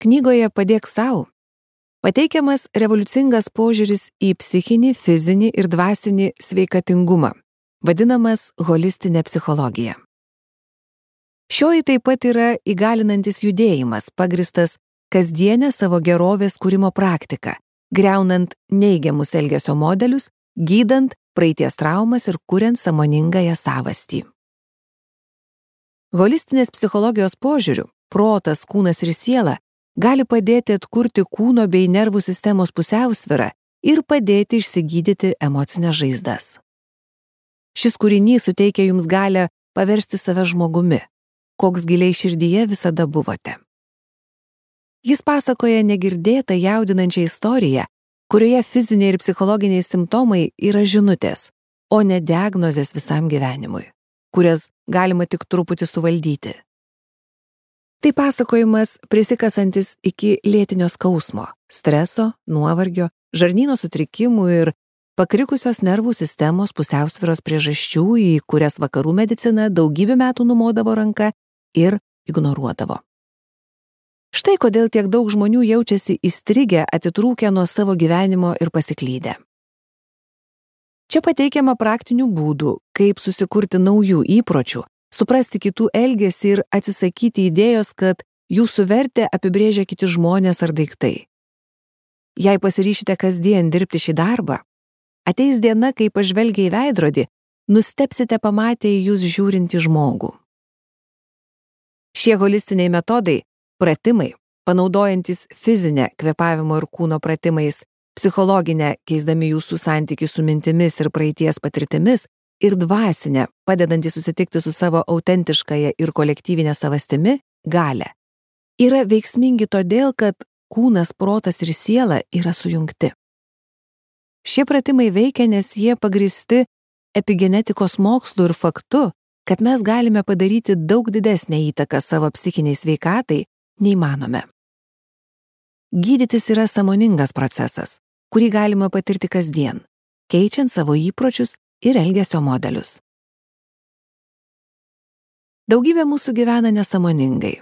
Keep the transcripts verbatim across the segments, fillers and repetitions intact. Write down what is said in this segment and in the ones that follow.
Knygoje Padėk sau pateikiamas revoliucingas požiūris į psichinį, fizinį ir dvasinį sveikatingumą, vadinamas holistinė psichologija. Šioji taip pat yra įgalinantis judėjimas, pagristas kasdienę savo gerovės kūrimo praktiką, griaunant neigiamus elgesio modelius, gydant praeities traumas ir kuriant sąmoningąją savastį. Holistinės psichologijos požiūriu, protas, kūnas ir siela gali padėti atkurti kūno bei nervų sistemos pusiausvyrą ir padėti išsigydyti emocinės žaizdas. Šis kūrinys suteikia jums galią paversti save žmogumi, koks giliai širdyje visada buvote. Jis pasakoja negirdėtą jaudinančią istoriją, kurioje fiziniai ir psichologiniai simptomai yra žinutės, o ne diagnozės visam gyvenimui, kurias galima tik truputį suvaldyti. Tai pasakojimas prisikasantis iki lėtinio skausmo, streso, nuovargio, žarnyno sutrikimų ir pakrikusios nervų sistemos pusiausvyros priežasčių, į kurias vakarų medicina daugybę metų numodavo ranka ir ignoruodavo. Štai kodėl tiek daug žmonių jaučiasi įstrigę, atitrūkę nuo savo gyvenimo ir pasiklydę. Čia pateikiama praktinių būdų, kaip susikurti naujų įpročių, suprasti kitų elgesį ir atsisakyti idėjos, kad jūsų vertę apibrėžia kiti žmonės ar daiktai. Jei pasiryšite kasdien dirbti šį darbą, ateis diena, kai pažvelgę į veidrodį, nustebsite pamatę į jūs žiūrintį žmogų. Šie holistiniai metodai, pratimai, panaudojantis fizinę kvėpavimo ir kūno pratimais, psichologinę, keisdami jūsų santykį su mintimis ir praeities patirtimis, ir dvasinę, padedantį susitikti su savo autentiškąją ir kolektyvinę savastimi, galią, yra veiksmingi todėl, kad kūnas, protas ir siela yra sujungti. Šie pratimai veikia, nes jie pagristi epigenetikos mokslu ir faktu, kad mes galime padaryti daug didesnę įtaką savo psichiniai sveikatai, nei manome. Gydytis yra sąmoningas procesas, kurį galima patirti kasdien, keičiant savo įpročius ir elgesio modelius. Daugybė mūsų gyvena nesąmoningai.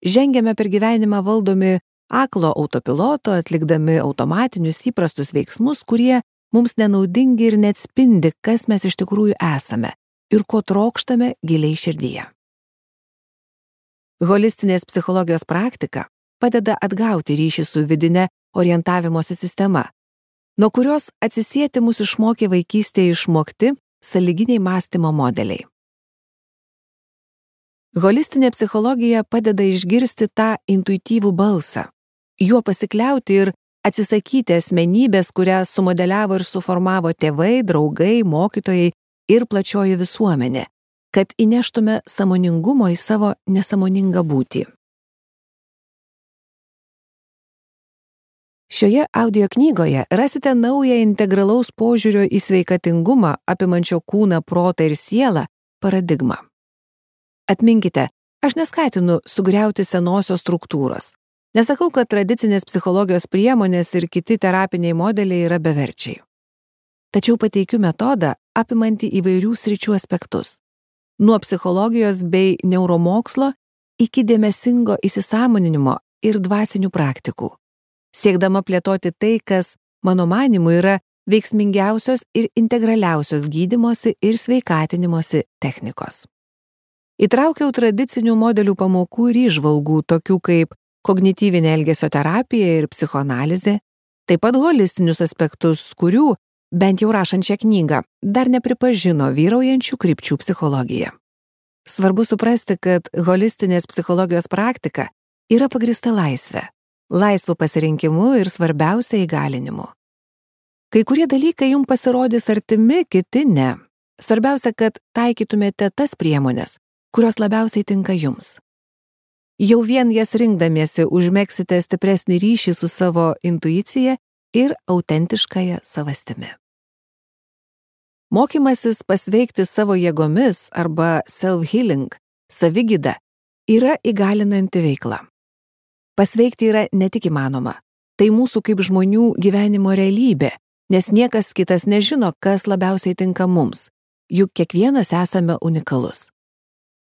Žengiame per gyvenimą valdomi aklo autopiloto, atlikdami automatinius įprastus veiksmus, kurie mums nenaudingi ir neatspindi, kas mes iš tikrųjų esame ir ko trokštame giliai širdyje. Holistinės psichologijos praktika padeda atgauti ryšį su vidine orientavimosi sistema, nuo kurios atsisieti mus išmokė vaikystėje išmokti sąlyginiai mąstymo modeliai. Holistinė psichologija padeda išgirsti tą intuityvų balsą, juo pasikliauti ir atsisakyti asmenybės, kurią sumodeliavo ir suformavo tėvai, draugai, mokytojai ir plačioji visuomenė, kad įneštume sąmoningumo į savo nesąmoningą būtį. Šioje audio knygoje rasite naują integralaus požiūrio į sveikatingumą apimančio kūną, protą ir sielą paradigmą. Atminkite, aš neskatinu sugriauti senosios struktūros. Nesakau, kad tradicinės psichologijos priemonės ir kiti terapiniai modeliai yra beverčiai. Tačiau pateikiu metodą apimantį įvairių sričių aspektus. Nuo psichologijos bei neuromokslo iki dėmesingo įsisąmoninimo ir dvasinių praktikų, siekdama plėtoti tai, kas, mano manymu, yra veiksmingiausios ir integraliausios gydymosi ir sveikatinimosi technikos. Įtraukiau tradicinių modelių pamokų ir įžvalgų, tokių kaip kognityvinė elgesio terapija ir psichoanalizė, taip pat holistinius aspektus, kurių, bent jau rašant šią knygą, dar nepripažino vyraujančių krypčių psichologija. Svarbu suprasti, kad holistinės psichologijos praktika yra pagrįsta laisvė, laisvu pasirinkimu ir svarbiausia įgalinimu. Kai kurie dalykai jums pasirodys artimi, kiti ne. Svarbiausia, kad taikytumėte tas priemonės, kurios labiausiai tinka jums. Jau vien jas rinkdamiesi užmegsite stipresnį ryšį su savo intuicija ir autentiškąja savastimi. Mokymasis pasveikti savo jėgomis arba self-healing, savigyda, yra įgalinanti veikla. Pasveikti yra ne tik įmanoma, tai mūsų kaip žmonių gyvenimo realybė, nes niekas kitas nežino, kas labiausiai tinka mums, juk kiekvienas esame unikalus.